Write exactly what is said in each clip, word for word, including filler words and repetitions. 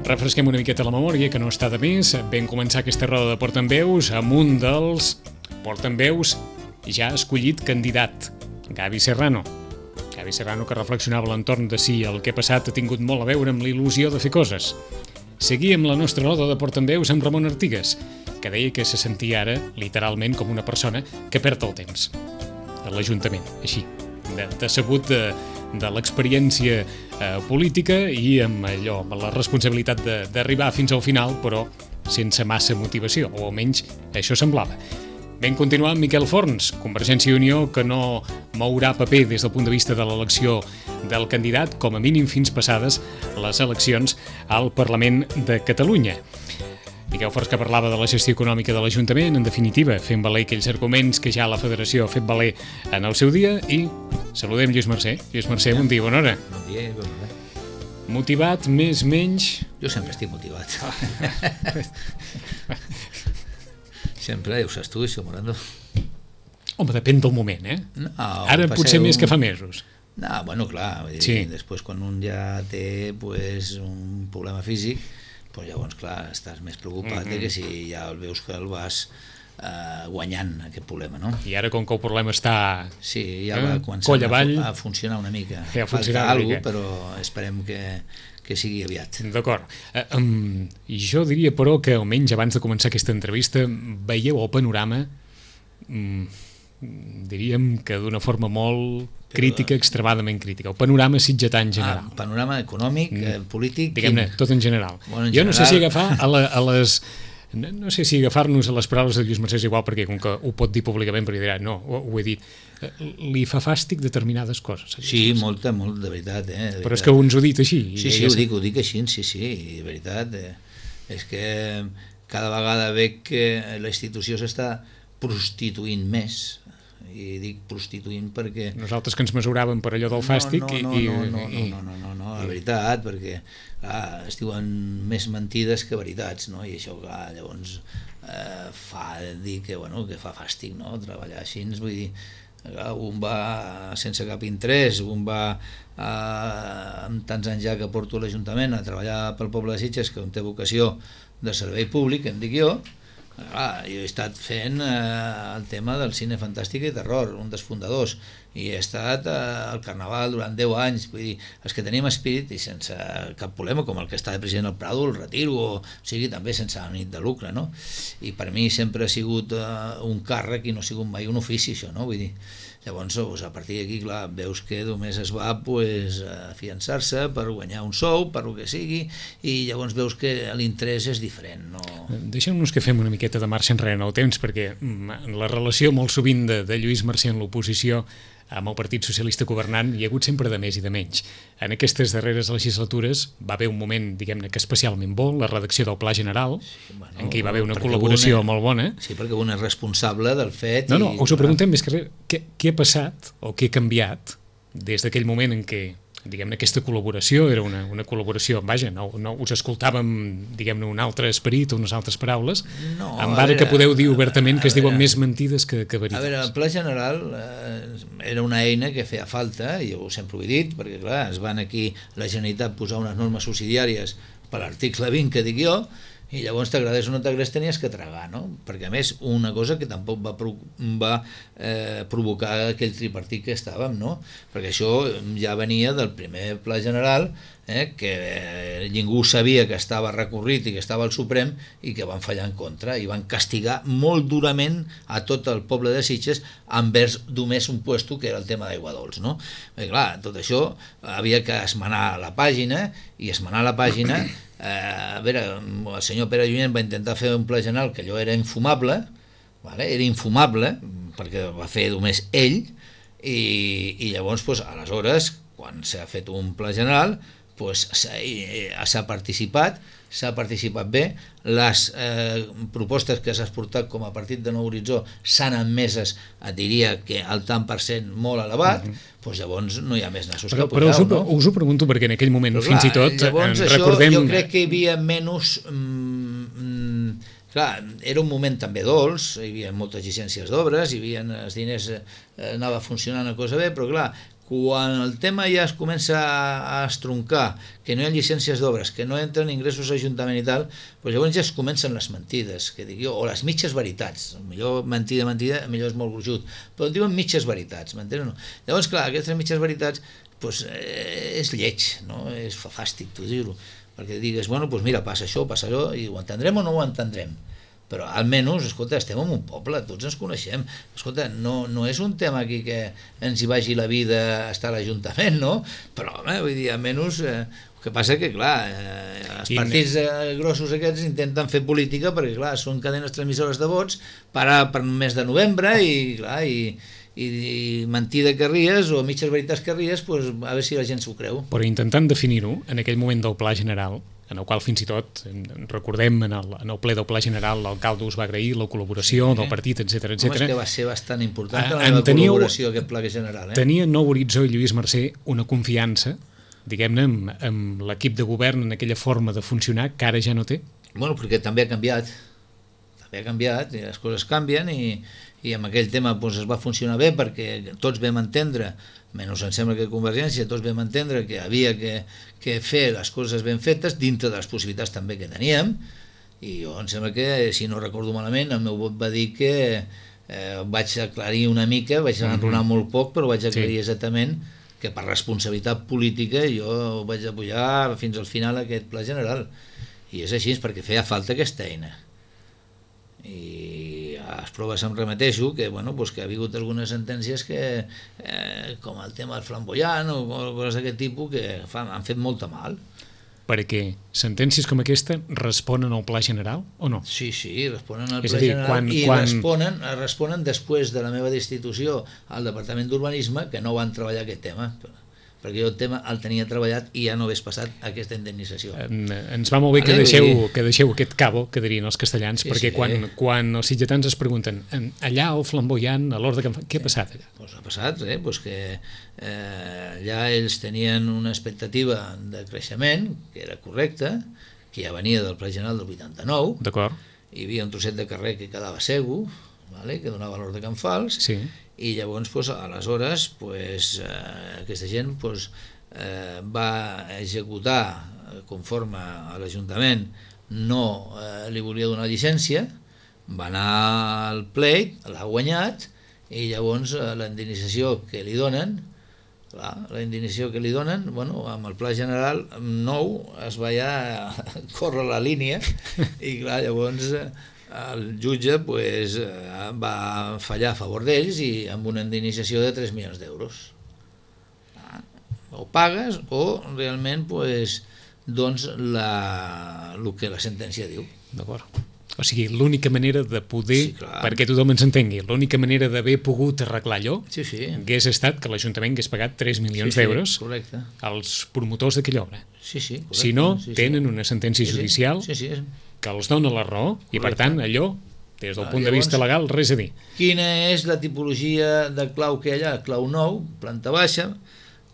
refresquem una miqueta la memòria, que no està de més. Vam començar aquesta roda de portaveus amb un dels portaveus ja escollit candidat, Gavi Serrano. Gavi Serrano, que reflexionava a l'entorn de si el que ha passat ha tingut molt a veure amb la il·lusió de fer coses. Seguíem la nostra roda de portaveus amb Ramon Artigas, que deia que se sentia ara, literalment, com una persona que perd el temps a l'Ajuntament, així, de, decebut de, de l'experiència eh, política i amb allò, amb la responsabilitat d'arribar fins al final, però sense massa motivació, o almenys això semblava. Vam continuar amb Miquel Forns, Convergència i Unió, que no mourà paper des del punt de vista de l'elecció del candidat, com a mínim fins passades les eleccions al Parlament de Catalunya. Miquel Forns, que parlava de la gestió econòmica de l'Ajuntament, en definitiva, fent valer aquells arguments que ja la Federació ha fet valer en el seu dia, i saludem Lluís Mercè. Lluís Mercè, bon dia, bona hora. Bon dia i bona hora. Motivat, més, menys... Jo sempre estic motivat. Sempre, ho saps tu, això, Morando. Home, depèn del moment, eh? No, Ara potser més que fa mesos. No, bueno, clar, vull dir, sí. Després quan un ja té pues, un problema físic, pues, llavors, clar, estàs més preocupat mm -hmm. que si ja el veus que el vas eh, guanyant, aquest problema, no? I ara, com que el problema està... Sí, ja eh? va començant a, a funcionar una mica. Ja Falta alguna cosa, però esperem que... que sigui aviat. D'acord. Uh, um, jo diria, però, que almenys abans de començar aquesta entrevista veieu el panorama, um, diríem que d'una forma molt crítica, extremadament crítica. El panorama sitgetà en general. Ah, panorama econòmic, eh, polític... Diguem-ne, tot en general. Bueno, en jo general... no sé si agafar a, la, a les... No, no sé si agafar-nos a les paraules de Lluís Mercè és igual, perquè com que ho pot dir públicament, perquè dirà, no, ho, ho he dit, li fa fàstic determinades coses. Sí, molta, molt, de veritat. Eh, de veritat. Però és que uns ho dit així. Sí, sí, ho dic, ho dic així, sí, sí, de veritat. Eh, és que cada vegada veig que la institució s'està prostituint més, i dic prostituint perquè... Nosaltres que ens mesuràvem per allò del fàstic... No, no, i, no, no, no, i, no, no, no, no, la veritat, perquè clar, es diuen més mentides que veritats, no? I això clar, llavors eh, fa dir que, bueno, que fa fàstic, no? Treballar així, vull dir, clar, un va sense cap interès, un va eh, amb tants anys ja que porto a l'Ajuntament a treballar pel poble de Sitges, que on té vocació de servei públic, em dic jo. Ah, jo he estat fent eh, el tema del cine fantàstic i terror, un dels fundadors, i he estat eh, al Carnaval durant deu anys, vull dir, els que tenim espírit i sense cap problema, com el que està de president al Prado, el retiro, o sigui, també sense ànim de lucre, no? I per mi sempre ha sigut eh, un càrrec i no ha sigut mai un ofici, això, no? Vull dir, llavors, doncs, a partir d'aquí, clar, veus que només es va pues, afiançar-se per guanyar un sou, per el que sigui, i llavors veus que l'interès és diferent. No? Deixem-nos que fem una miqueta de marxa enrere en el temps, perquè la relació molt sovint de, de Lluís Mercè en l'oposició amb el Partit Socialista governant hi ha hagut sempre de més i de menys. En aquestes darreres legislatures va haver un moment, diguem-ne, que especialment bo, la redacció del Pla General, sí, bueno, en què hi va haver una col·laboració una, molt bona. Sí, perquè un és responsable del fet... No, no, i, us ho preguntem més que res, què, què ha passat o què ha canviat des d'aquell moment en què, diguem-ne, aquesta col·laboració era una, una col·laboració, vaja, no, no us escoltàvem, diguem-ne, un altre esperit o unes altres paraules, no, amb ara que podeu dir obertament que es diuen més mentides que, que veritats. A veure, el Pla General eh, era una eina que feia falta, i jo sempre ho he dit, perquè clar, es van aquí la Generalitat posar unes normes subsidiàries per l'article vint que dic jo, i llavors t'agradés o no t'agradés tenies que tragar, no? Perquè a més una cosa que tampoc va, pro va eh, provocar aquell tripartit que estàvem, no? Perquè això ja venia del primer Pla General, eh, que eh, ningú sabia que estava recorrit i que estava al Suprem i que van fallar en contra i van castigar molt durament a tot el poble de Sitges envers només un puesto que era el tema d'aigua dolç, no? Perquè clar, tot això havia que esmenar la pàgina i esmenar la pàgina Eh, a veure, el senyor Pere Lluent va intentar fer un pla general que allò era infumable, vale? Era infumable perquè va fer només ell i, i llavors pues, aleshores quan s'ha fet un pla general pues, s'ha participat s'ha participat bé, les eh, propostes que s'ha exportat com a partit de Nou Horitzó s'han admeses, et diria que al tant per cent molt elevat, mm -hmm. doncs llavors no hi ha més nassos però, que apujar, però us ho, no? us ho pregunto perquè en aquell moment, però, fins clar, i tot, llavors, recordem... Això, jo crec que hi havia menys... Mm, mm, clar, era un moment també dolç, hi havia moltes llicències d'obres, hi havia els diners, eh, anava funcionant una cosa bé, però clar, Quan el tema ja es comença a estroncar, que no hi ha llicències d'obres, que no entren ingressos a l'Ajuntament i tal, doncs llavors ja es comencen les mentides, que dic jo, o les mitges veritats. Millor mentida, mentida, millor és molt gruixut, però diuen mitges veritats, m'entens o no? Llavors, clar, aquestes mitges veritats doncs, eh, és lleig, no? És fa fàstic, tu dir-ho, perquè digues, bueno, doncs mira, passa això, passa allò, i ho entendrem o no ho entendrem? Però almenys, escolta, estem en un poble, tots ens coneixem. Escolta, no, no és un tema aquí que ens hi vagi la vida a estar a l'Ajuntament, no? Però, home, vull dir, almenys, eh, el que passa que, clar, eh, els partits eh, grossos aquests intenten fer política perquè, clar, són cadenes transmissores de vots per, a, per mes de novembre i, clar, i, i, i mentida que ries o mitges veritats que ries, pues, a veure si la gent s'ho creu. Però intentant definir-ho, en aquell moment del Pla General, en el qual fins i tot, recordem, en el, en el ple del Pla General, l'alcalde us va agrair la col·laboració sí, del partit, etcètera, etcètera. Home, és que va ser bastant important la en meva teníeu, col·laboració, aquest Pla General. Eh? Tenia en Nou Horitzó i Lluís Mercè una confiança, diguem-ne, amb, amb l'equip de govern en aquella forma de funcionar que ara ja no té? Bueno, perquè també ha canviat. També ha canviat, i les coses canvien, i, i amb aquell tema doncs, es va funcionar bé perquè tots vam entendre, menys em sembla que Convergència, tots vam entendre que havia que, que fer les coses ben fetes dintre de les possibilitats també que teníem, i jo em sembla que, si no recordo malament, el meu vot va dir que eh, vaig aclarir una mica, vaig enronar mm-hmm. molt poc, però vaig aclarir sí. exactament que per responsabilitat política jo vaig apoyar fins al final aquest Pla General, i és així, perquè feia falta aquesta eina. I a les proves em remeteixo que, bueno, pues que ha hagut algunes sentències que, eh, com el tema del flamboyant o coses d'aquest tipus, que fan, han fet molta mal. Perquè sentències com aquesta responen al Pla General o no? Sí, sí, responen al és Pla dir, General quan, i quan... responen, responen després de la meva destitució al Departament d'Urbanisme, que no van treballar aquest tema, perquè jo el tema el tenia treballat i ja no hagués passat aquesta indemnització. En, ens va molt bé que deixeu, que deixeu aquest cabo, que dirien els castellans, sí, perquè sí, quan, eh? quan els sitgetans es pregunten allà el flamboyant, a l'hora de campanya, què ha passat allà? Pues ha passat, eh? pues que eh, allà ells tenien una expectativa de creixement, que era correcta, que ja venia del Pla General del vuitanta-nou, d'acord. Hi havia un trosset de carrer que quedava segur, vale? Que donava l'Hort de Can Fals, sí. I llavors, pues, aleshores, pues, eh, aquesta gent pues, eh, va executar conforme a l'Ajuntament no eh, li volia donar llicència, va anar al pleit, l'ha guanyat, i llavors eh, la indemnització que li donen, clar, la indemnització que li donen, bueno, amb el Pla General nou es va ja córrer la línia, i clar, llavors... Eh, el jutge pues, va fallar a favor d'ells i amb una indemnització de tres milions d'euros. O pagues o realment pues, doncs la, el que la sentència diu. D'acord. O sigui, l'única manera de poder, sí, perquè tothom ens entengui, l'única manera d'haver pogut arreglar allò sí, sí. hagués estat que l'Ajuntament hagués pagat tres milions sí, sí, d'euros correcte. Als promotors d'aquella obra. Sí, sí, correcte. Si no, sí, sí. tenen una sentència sí, judicial sí, sí, sí. que els dona la raó correcte. I per tant allò, des del ah, punt llavors, de vista legal, res a dir. Quina és la tipologia de clau que hi ha allà? Clau nou, planta baixa,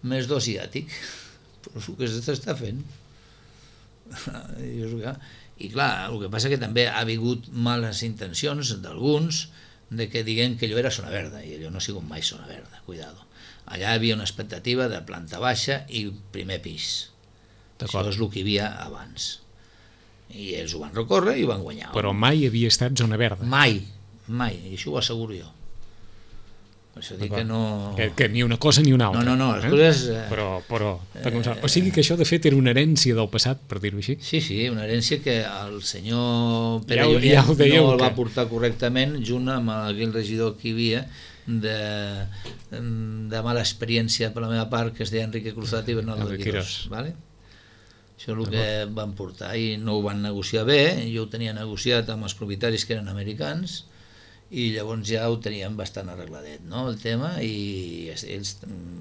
més dos i àtic. Però és el que s'està fent. I clar, el que passa que també ha hagut males intencions d'alguns de que diguen que allò era zona verda, i allò no ha sigut mai zona verda, cuidado. Allà hi havia una expectativa de planta baixa i primer pis. Això és el que hi havia abans. I ells ho van recórrer i ho van guanyar. Però mai havia estat zona verda. Mai, mai, i això ho asseguro jo. Per això dic que no... Que, que ni una cosa ni una altra. No, no, no, les eh? coses... Eh, però, però, eh, o sigui que això de fet era una herència del passat, per dir-ho així. Sí, sí, una herència que el senyor Pere ja, Junyent ja no el va que... portar correctament, junt amb aquell regidor que hi havia, de, de mala experiència per la meva part, que es deia Enrique Cruzat i Bernardo de Quirós. Vale? Això és el que van portar i no ho van negociar bé. Jo ho tenia negociat amb els propietaris que eren americans i llavors ja ho teníem bastant arregladet, no, el tema, i ells,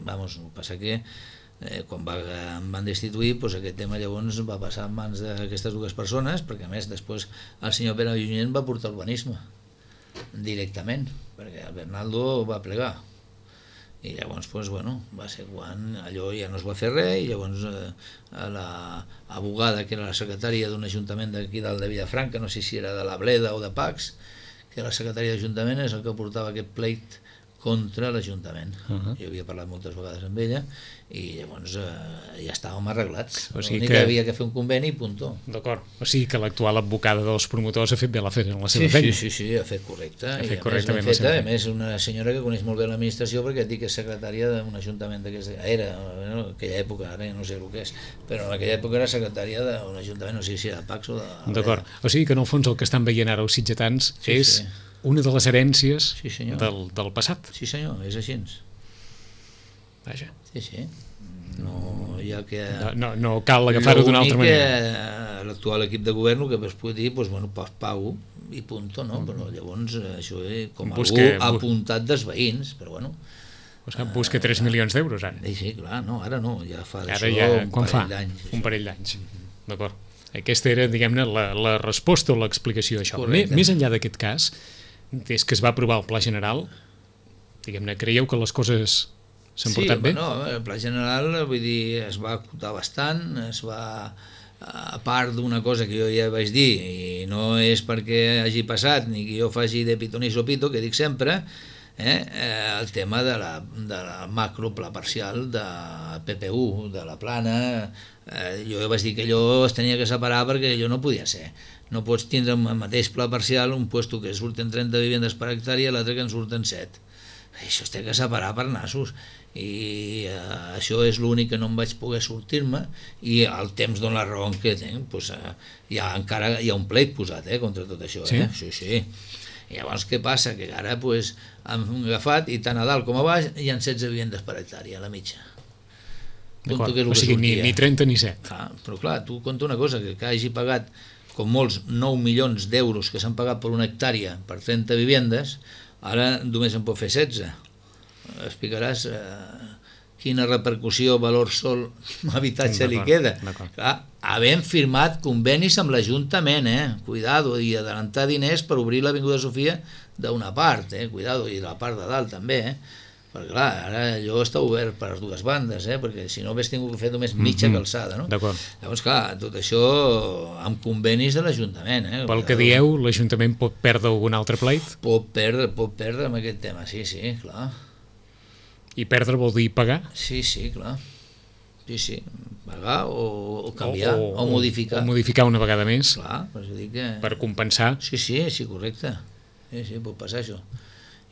vamos, passa que eh, quan va, em van destituir, doncs aquest tema llavors va passar en mans d'aquestes dues persones, perquè a més després el senyor Pere Junyent va portar urbanisme directament, perquè el Bernaldo va plegar. I llavors, doncs, bueno, va ser quan allò ja no es va fer res, i llavors eh, l'abogada, que era la secretària d'un ajuntament d'aquí dalt de Vilafranca, no sé si era de la Bleda o de Pacs, que era la secretària d'Ajuntament, és el que portava aquest pleit contra l'Ajuntament. Uh -huh. Jo havia parlat moltes vegades amb ella i llavors eh, ja estàvem arreglats. O sigui L'únic que... que havia que fer un conveni i puntó. D'acord. O sigui que l'actual advocada dels promotors ha fet bé la feina en la seva Sí, feina. sí, sí, sí, ha fet correcte. Ha I fet a correctament més, la seva feta, a feina. més una senyora que coneix molt bé l'administració perquè et dic que és secretària d'un ajuntament d'aquesta... Era, en aquella època, ara no sé el que és, però en aquella època era secretària d'un ajuntament, no sé si era de Pax o de... D'acord. O sigui que en el fons el que estan veient ara els sitgetans Sí, és sí. una de les herències Sí, senyor. del, del passat. Sí senyor, és així. Vaja. Sí, sí. No hi ha que... No, no, no cal agafar-ho d'una altra manera. L'únic que l'actual equip de govern el que es pot dir, doncs, bueno, pas pago i punto, no? Però llavors això és com Busca- algú apuntat dels veïns, però bueno... O sigui, busca tres milions d'euros ara. Sí, sí, clar, no, ara no, ja fa Ara d'això ja, un quan fa? parell d'anys. Un parell d'anys. D'acord. Aquesta era, diguem-ne, la, la resposta o l'explicació d'això. Correcte. Més enllà d'aquest cas, des que es va aprovar el Pla General, diguem-ne, creieu que les coses s'han Sí, portat bé? bueno, el pla general, vull dir, es va acotar bastant, es va, a part d'una cosa que jo ja vaig dir, i no és perquè hagi passat, ni que jo faci de pito ni sopito, que dic sempre, eh, eh, el tema de la, de la macropla parcial de P P U, de la plana, eh, jo ja vaig dir que allò es tenia que separar perquè allò no podia ser. No pots tindre en el mateix pla parcial un puesto que surten trenta vivendes per hectàrea i l'altre que en surten set. Això es té que separar per nassos i eh, això és l'únic que no em vaig poder sortir-me i el temps dona la raó que tinc, doncs, eh, hi ha, encara hi ha un pleit posat eh, contra tot això. Sí? Eh? Sí, sí. I llavors què passa? Que ara pues, hem agafat i tant a dalt com a baix hi ha setze vivendes per hectàrea, a la mitja. Compto que és el O que sigui, ni, sortia. ni trenta ni set. Ah, però clar, tu compta una cosa, que, que hagi pagat com molts nou milions d'euros que s'han pagat per una hectàrea per trenta vivendes, ara només en pot fer setze. Explicaràs eh, quina repercussió valor sol habitatge li queda. Clar, havent firmat convenis amb l'Ajuntament, eh? Cuidado, i adelantar diners per obrir l'Avinguda Sofia d'una part, eh? Cuidado, i la part de dalt també, eh? Perquè clar, ara allò està obert per les dues bandes, eh? Perquè si no hagués tingut que fer només mitja calçada, no? D'acord. Llavors, clar, tot això amb convenis de l'Ajuntament, eh? Pel que dieu, l'Ajuntament pot perdre algun altre pleit? Pot perdre, pot perdre amb aquest tema, sí, sí, clar. I perdre vol dir pagar? Sí, sí, clar. Sí, sí, pagar o, o canviar, o, o, o modificar. O modificar una vegada més. Clar, per això dic que... Per compensar. Sí, sí, sí, correcte. Sí, sí, pot passar això.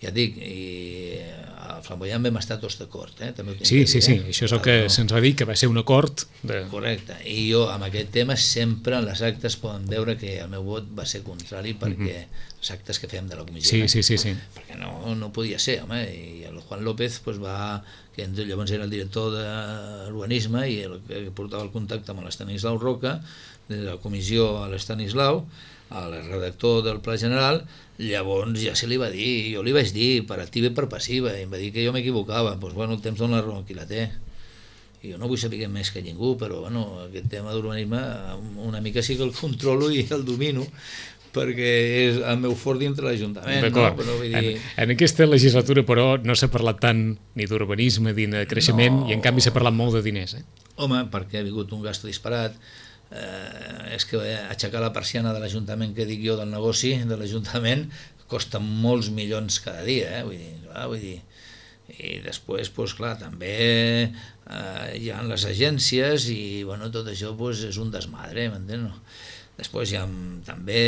Ja et dic, i a Flamboyant vam estar tots d'acord, eh? També ho tinc Sí, que sí, dir, sí, eh? això és el que no. se'ns va dir, que va ser un acord de... Correcte, i jo amb aquest tema sempre en les actes poden veure que el meu vot va ser contrari perquè els actes que fèiem de la comissió, Sí, eh? sí, sí, sí. Perquè no, no podia ser, home, i el Juan López pues, va, que llavors era el director d'urbanisme i el que portava el contacte amb l'Estanislau Roca, de la comissió a l'Estanislau, al redactor del Pla General, llavors ja se li va dir, jo li vaig dir per activa i per passiva, i em va dir que jo m'equivocava, doncs bueno, el temps dona la raó qui la té. I jo no vull saber més que ningú, però bueno, aquest tema d'urbanisme una mica sí que el controlo i el domino, perquè és el meu fort dintre l'Ajuntament, no? Però vull dir... en, en aquesta legislatura, però, no s'ha parlat tant ni d'urbanisme ni de creixement, No. i en canvi s'ha parlat molt de diners, eh? Home, perquè ha vingut un gasto disparat, eh, és que aixecar la persiana de l'Ajuntament, que dic jo, del negoci de l'Ajuntament, costa molts milions cada dia, eh? Vull dir, clar, vull dir, i després, doncs, clar, també eh, hi ha les agències i, bueno, tot això doncs, és un desmadre, m'entens? No? Després hi ha, també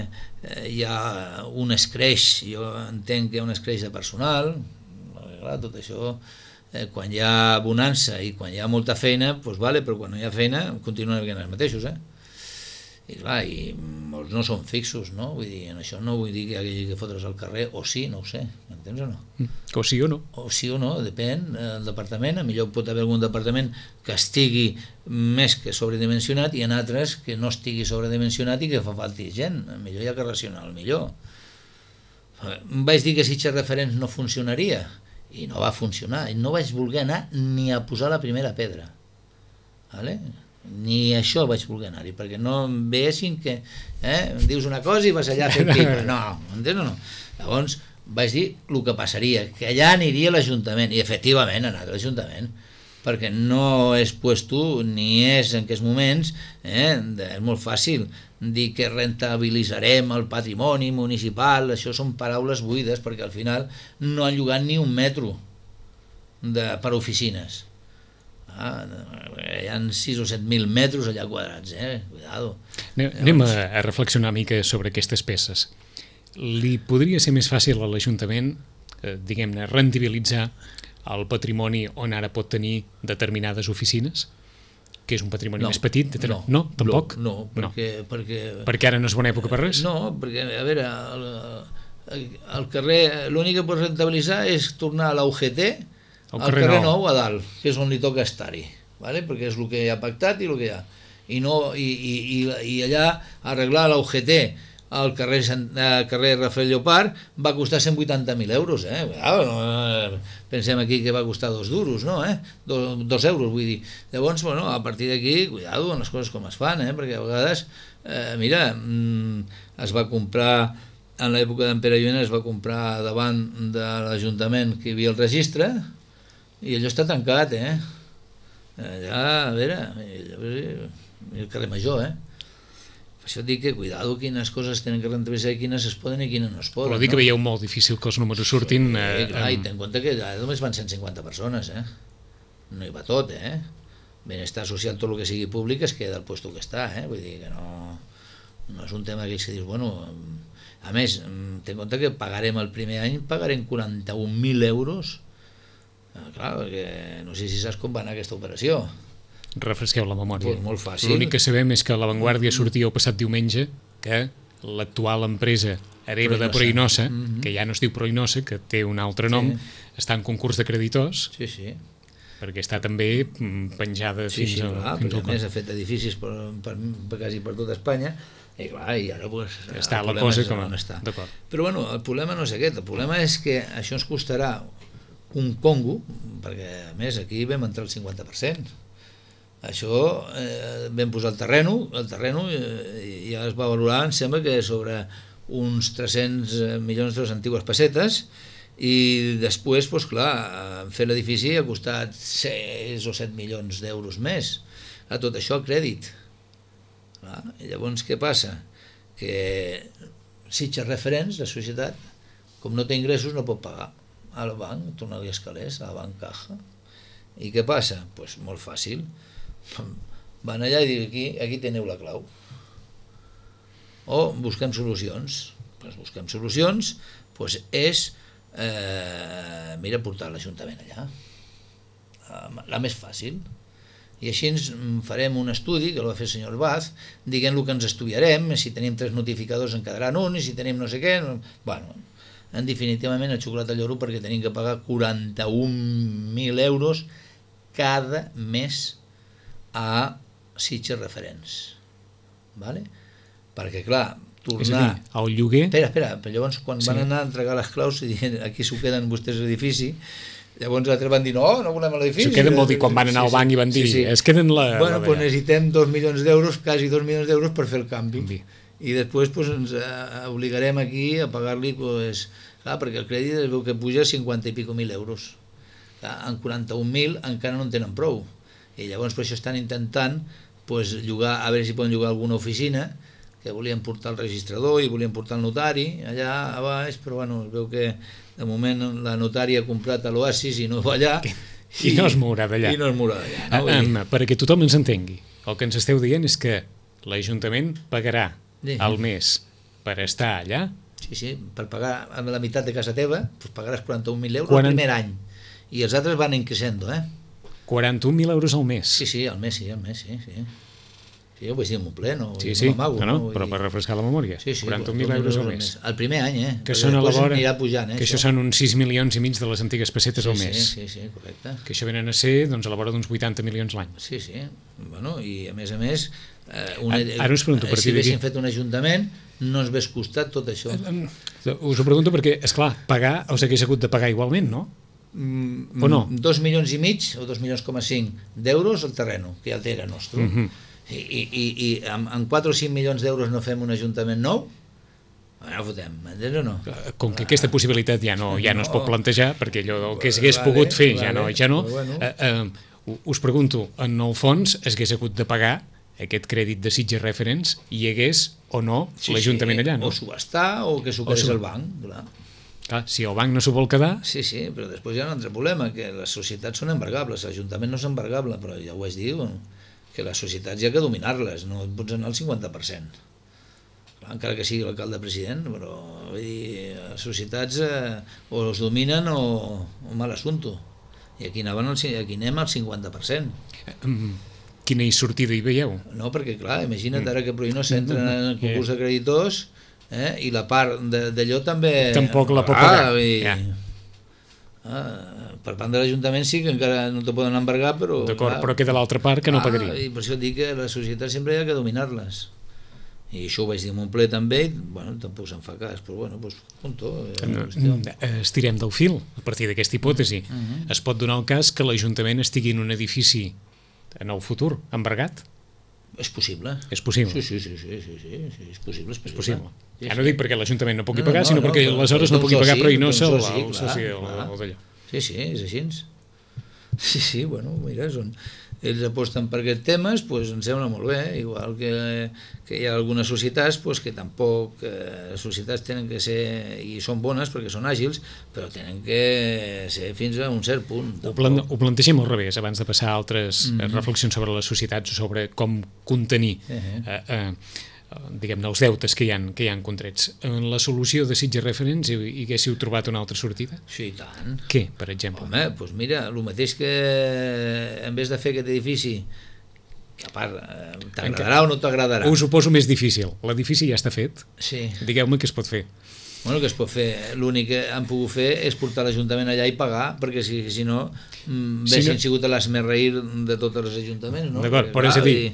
eh, hi ha un escreix, jo entenc que hi ha un escreix de personal, clar, tot això, eh, quan hi ha bonança i quan hi ha molta feina, doncs vale, però quan no hi ha feina continuen havent els mateixos, eh? I clar, i molts no són fixos, no? Vull dir, en això no vull dir que hi hagi que fotre's al carrer, o sí, no ho sé, m'entens o no? O sí o no? O sí o no, depèn del departament, a millor pot haver algun departament que estigui més que sobredimensionat i en altres que no estigui sobredimensionat i que fa falta gent, millor hi ha que racionar el millor. Vaig dir que Sitges Referents no funcionaria i no va funcionar, i no vaig voler anar ni a posar la primera pedra, vale? Ni això vaig voler anar-hi, perquè no em veiessin que eh, em dius una cosa i vas allà fent pipa, no, entens o no? Llavors vaig dir el que passaria, que allà aniria l'Ajuntament, i efectivament ha anat a l'Ajuntament, perquè no és puesto ni és en aquests moments, eh? És molt fàcil dir que rentabilitzarem el patrimoni municipal, això són paraules buides, perquè al final no han llogat ni un metro de, per oficines. Ah, hi ha sis o set mil metres allà quadrats, eh? Cuidado. Anem a, a reflexionar una mica sobre aquestes peces. Li podria ser més fàcil a l'Ajuntament, eh, diguem-ne, rendibilitzar el patrimoni on ara pot tenir determinades oficines, que és un patrimoni no, més petit? De... No, no, tampoc? No, no, perquè, no. perquè... Perquè ara no és bona època per res? No, perquè, a veure, el, el carrer, l'únic que pots rentabilitzar és tornar a la U G T, al carrer, carrer nou. nou a dalt, que és on li toca estar-hi, ¿vale? Perquè és el que hi ha pactat i el que hi ha. I, no, i, i, i, i allà arreglar la U G T al carrer, al carrer Rafael Llopart va costar cent vuitanta mil euros, eh? Pensem aquí que va costar dos duros, no? Eh? Dos, dos euros, vull dir. Llavors, bueno, a partir d'aquí, cuidado amb les coses com es fan, eh? Perquè a vegades, eh, mira, es va comprar, en l'època d'en Pere Lluena es va comprar davant de l'Ajuntament que hi havia el registre i allò està tancat, eh? Allà, a veure, el carrer Major, eh? Això et dic que, cuidado, quines coses tenen que rentabilitzar i quines es poden i quines no es poden. Però dir que veieu molt difícil que els números surtin... Sí, eh, clar, i ten en compte que només van cent cinquanta persones, eh? No hi va tot, eh? Benestar social, tot el que sigui públic es queda al puesto que està, eh? Vull dir que no, no és un tema que se dius, bueno... A més, ten en compte que pagarem el primer any, pagarem quaranta-un mil euros. Eh, clar, perquè no sé si saps com va anar aquesta operació. Refresqueu la memòria. Pues molt fàcil. L'únic que sabem és que La Vanguardia sortia el passat diumenge que l'actual empresa hereva de Proinosa, mm-hmm. que ja no es diu Proinosa, que té un altre nom, sí. està en concurs de creditors, sí, sí. perquè està també penjada sí, fins, sí, a, clar, fins al a més ha fet edificis per, per, per, quasi per tota Espanya, i clar, i ara pues, està la cosa com a... està. Però bueno, el problema no és aquest, el problema és que això ens costarà un congo, perquè a més aquí vam entrar el cinquanta per cent. Això eh, vam posar el terreno, el terreno eh, ja es va valorar, em sembla que sobre uns tres-cents milions de les antigues pessetes, i després, doncs clar, fer l'edifici ha costat sis o set milions d'euros més. A tot això, crèdit. Clar, i llavors què passa? Que Sitges Referents, la societat, com no té ingressos, no pot pagar al banc, tornar-li els calés, a la banc Caja. I què passa? Doncs pues molt fàcil. Van allà i diuen, aquí, aquí teniu la clau. O busquem solucions. Pues busquem solucions, pues és, eh, mira, portar l'Ajuntament allà. La més fàcil. I així ens farem un estudi, que el va fer el senyor Baz, diguem el que ens estudiarem, si tenim tres notificadors en quedaran un, i si tenim no sé què... Bueno, en definitivament el xocolata lloro perquè tenim que pagar quaranta-un mil euros cada mes a Sitges Referents. Vale? Perquè, clar, tornar... És a dir, el lloguer... Espera, espera, però llavors quan sí. van anar a entregar les claus i diuen, aquí s'ho queden vostès l'edifici, llavors altres van dir, no, no volem l'edifici. S'ho queden vol dir, quan van anar sí, al banc i van dir, sí, sí. es queden la... Bueno, la doncs necessitem dos milions d'euros, quasi dos milions d'euros per fer el canvi. canvi. I després pues, ens eh, obligarem aquí a pagar-li, pues, clar, perquè el crèdit es veu que puja cinquanta i pico mil euros. Clar, en quaranta-un mil encara no en tenen prou. I llavors per això estan intentant pues, llogar, a veure si poden llogar alguna oficina, que volien portar el registrador i volien portar el notari allà a baix, però bueno, es veu que de moment la notària ha comprat a l'Oasis i no va allà. I, i no es mourà d'allà. I no es mourà d'allà. No? Ah, um, perquè tothom ens entengui, el que ens esteu dient és que l'Ajuntament pagarà sí. al mes per estar allà. Sí, sí, per pagar amb la meitat de casa teva, pues pagaràs quaranta-un mil euros Quarant... el primer any. I els altres van increixendo, eh? quaranta-un mil euros al mes. Sí, sí, al mes, sí, al mes, sí, sí. Sí, ho vaig dir en un ple, no? Sí, sí, no, no, no, però per refrescar la memòria. Sí, sí, quaranta-un mil euros al mes. El primer any, eh? Que són a la vora, pujant, eh, que això, això són uns sis milions i mig de les antigues pessetes sí, al mes. Sí, sí, sí, correcte. Que això venen a ser, doncs, a la vora d'uns vuitanta milions l'any. Sí, sí, bueno, i a més a més, eh, una, ara us pregunto, si haguéssim fet un ajuntament, no ens hagués costat tot això. Us ho pregunto perquè, esclar, pagar us hagués hagut de pagar igualment, no? Mm, o no? Dos milions i mig o dos milions coma cinc d'euros el terreno, que ja era nostre. Mm -hmm. I, i, i amb, amb quatre o cinc milions d'euros no fem un ajuntament nou? No fotem, m'entens o no? Com que aquesta possibilitat ja no, ja no es pot plantejar, perquè allò que s'hagués pogut fer ja no, ja no. Bueno. Eh, eh, us pregunto, en el fons es hagués hagut de pagar aquest crèdit de Sitges Reference i hi hagués o no sí, l'Ajuntament sí, allà, no? O subhastar o que s'ho quedés el banc, clar. Clar, si el banc no s'ho vol quedar... Sí, sí, però després hi ha un altre problema, que les societats són embargables, l'Ajuntament no és embargable, però ja ho vaig dir, que les societats hi ha que dominar-les, no et pots anar al cinquanta per cent. Clar, encara que sigui l'alcalde president, però vull dir, les societats eh, o es dominen o, o mal assunto. I aquí, anaven al, aquí anem al cinquanta per cent. Quina sortida hi veieu? No, perquè clar, imagina't ara que Pruïnos s'entra en el concurs de creditors eh, i la part d'allò també... Tampoc la pot pagar. Ah, i... ja. ah, per part de l'Ajuntament sí que encara no te poden embargar, però... D'acord, però queda l'altra part que no ah, pagaria. I per això dic que les societats sempre hi ha que dominar-les. I això ho vaig dir en un ple també, i bueno, tampoc se'n fa cas, però bueno, doncs, punto. Estirem del fil, a partir d'aquesta hipòtesi. Uh -huh. Es pot donar el cas que l'Ajuntament estigui en un edifici en el futur, embargat? És possible. És possible? Sí, sí, sí, sí, sí, sí, sí és possible. És possible. És possible. Sí, ja no sí. dic perquè l'Ajuntament no pugui no, pagar, no, sinó no, perquè però, aleshores no pugui soci, pagar, però i no soci, el clar, soci clar. d'allò. Sí, sí, és així. Sí, sí, bueno, mira, són... ells aposten per aquests temes, doncs em sembla molt bé, igual que, que hi ha algunes societats doncs, que tampoc, eh, les societats tenen que ser, i són bones perquè són àgils, però tenen que ser fins a un cert punt. Ho, plan, ho plantegem al revés, abans de passar a altres mm -hmm. reflexions sobre les societats, sobre com contenir uh -huh. eh, eh, diguem-ne, els deutes que hi ha, que hi ha contrets. En la solució de Sitges Reference hi haguéssiu trobat una altra sortida? Sí, i tant. Què, per exemple? Home, doncs mira, el mateix que en vez de fer aquest edifici, que a part t'agradarà o no t'agradarà. Us ho poso més difícil. L'edifici ja està fet. Sí. Digueu-me què es pot fer. Bueno, que es pot fer, l'únic que han pogut fer és portar l'Ajuntament allà i pagar, perquè si, si no haguessin si no... sigut l'esmerreir de tots els ajuntaments, no? D'acord, però és a dir, i...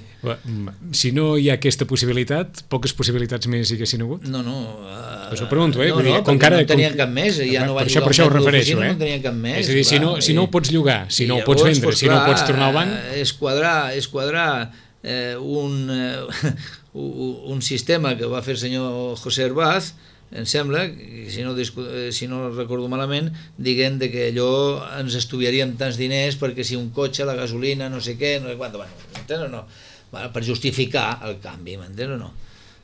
si no hi ha aquesta possibilitat, poques possibilitats més hi haguessin hagut? No, no. Uh... Us ho pregunto, eh? No, Vull dir, no, com perquè cara, no tenien com... cap més, ja no per van això, per això ho refereixo, eh? No tenien cap més. És a dir, clar, si, no, si no ho pots llogar, si no ho pots vendre, pues, si no ho pots tornar al banc... És quadrar, és quadrar eh, un, eh, un sistema que va fer el senyor José Herbaz, em sembla, si no, si no recordo malament, diguem de que allò ens estudiaríem tants diners perquè si un cotxe, la gasolina, no sé què, no sé quant, bueno, m'entens o no? Bueno, per justificar el canvi, m'entens o no?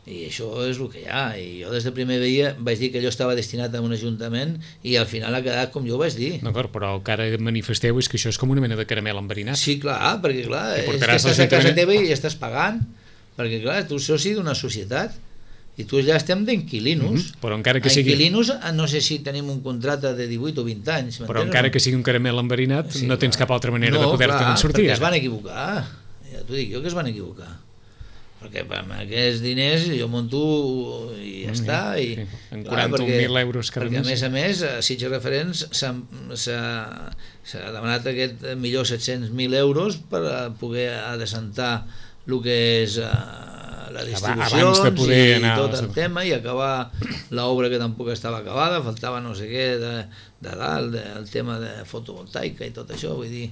I això és el que hi ha, i jo des de primer dia vaig dir que allò estava destinat a un ajuntament i al final ha quedat com jo vaig dir. D'acord, però el que ara manifesteu és que això és com una mena de caramel enverinat. Sí, clar, perquè clar, és que estàs a casa teva i estàs pagant, perquè clar, tu ets soci d'una societat, i tu ja estem d'inquilinos. Mm-hmm. Però encara que sigui... Inquilinos, no sé si tenim un contracte de divuit o vint anys. Però encara no? que sigui un caramel enverinat, sí, no tens cap altra manera no, de poder-te'n sortir. No, perquè es van equivocar. Ja t'ho dic jo que es van equivocar. Perquè amb aquests diners jo monto i ja mm, està. I, sí. En quaranta mil euros cada mes. Perquè a més a més, a Sitges Referents s'ha demanat aquest millor set-cents mil euros per poder adescentar el que és... la distribució i anar tot el tema i acabar l'obra que tampoc estava acabada, faltava no sé què de, de dalt, de, el tema de fotovoltaica i tot això, vull dir,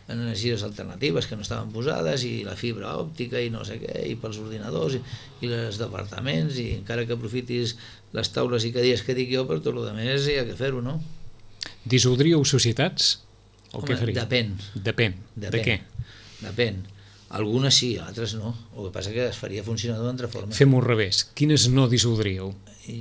energies alternatives que no estaven posades i la fibra òptica i no sé què, i pels ordinadors i, i els departaments i encara que aprofitis les taules i cadires que dic jo, per tot el que més hi ha que fer-ho, no? Dissoldríeu societats? O Home, què faríeu? Depèn. Depèn. Depèn. De què? Depèn. Algunes sí, altres no. El que passa que es faria funcionar d'una altra forma. Fem-ho al revés. Quines no dissoldríeu?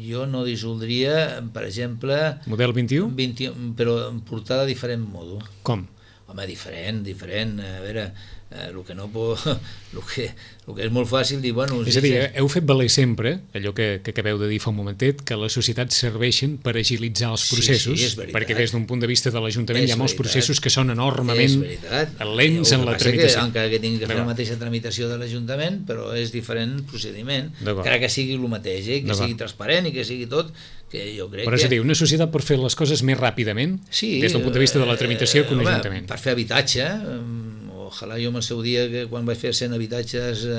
Jo no dissoldria, per exemple... Model vint-i-u? vint-i-u, però portada de diferent modo. Com? Home, diferent, diferent. A veure, eh, el que no pot... El que, el que és molt fàcil dir... Bueno, és a dir, heu fet valer sempre, allò que, que acabeu de dir fa un momentet, que les societats serveixen per agilitzar els processos, sí, sí, perquè des d'un punt de vista de l'Ajuntament hi ha molts veritat. processos que són enormement lents en la tramitació. Que, encara que tingui que fer la mateixa tramitació de l'Ajuntament, però és diferent procediment, encara que sigui el mateix, eh? Que sigui transparent i que sigui tot, que jo crec però és que... a dir, una societat per fer les coses més ràpidament, sí, des del punt de vista de la tramitació, que un home, Ajuntament. Per fer habitatge, ojalà jo en el seu dia, que quan vaig fer cent habitatges eh,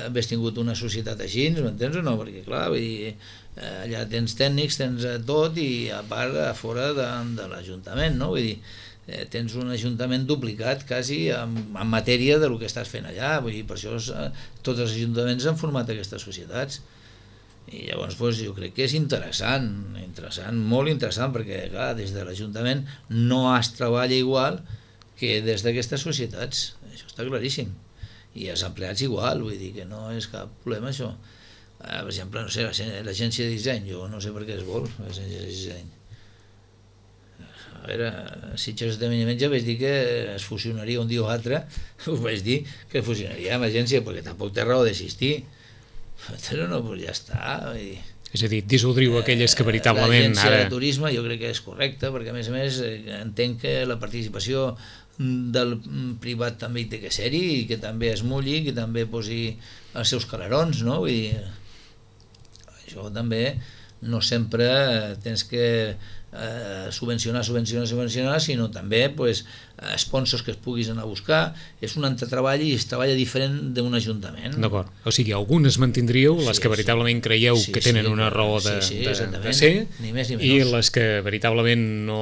hagués tingut una societat així, m'entens o no? Perquè clar, vull dir, eh, allà tens tècnics, tens tot i a part a fora de, de l'Ajuntament, no? Vull dir, eh, tens un Ajuntament duplicat quasi en, en matèria de lo que estàs fent allà, vull dir, per això eh, tots els ajuntaments han format aquestes societats. I llavors doncs, jo crec que és interessant, interessant, molt interessant, perquè clar, des de l'Ajuntament no es treballa igual que des d'aquestes societats, això està claríssim, i els empleats igual, vull dir que no és cap problema això. Per exemple, no sé, l'agència de disseny, jo no sé per què es vol l'agència de disseny. A veure, si Sitges esdeveniment ja vaig dir que es fusionaria un dia o altre, us vaig dir que es fusionaria amb l'agència, perquè tampoc té raó d'existir. Però no, doncs ja està. És a dir, dissoldriu aquelles que veritablement... L'agència de turisme jo crec que és correcta, perquè a més a més entenc que la participació del privat també hi té que ser-hi, i que també es mulli, que també posi els seus calarons, no? Vull dir, això també no sempre tens que eh, subvencionar, subvencionar, subvencionar, sinó també pues, sponsors que es puguis anar a buscar. És un entretreball i es treballa diferent d'un ajuntament. D'acord, o sigui, algunes mantindríeu, les sí, que veritablement creieu sí, que tenen sí, una raó de, sí, sí, de, de ser, ni més ni i les que veritablement no,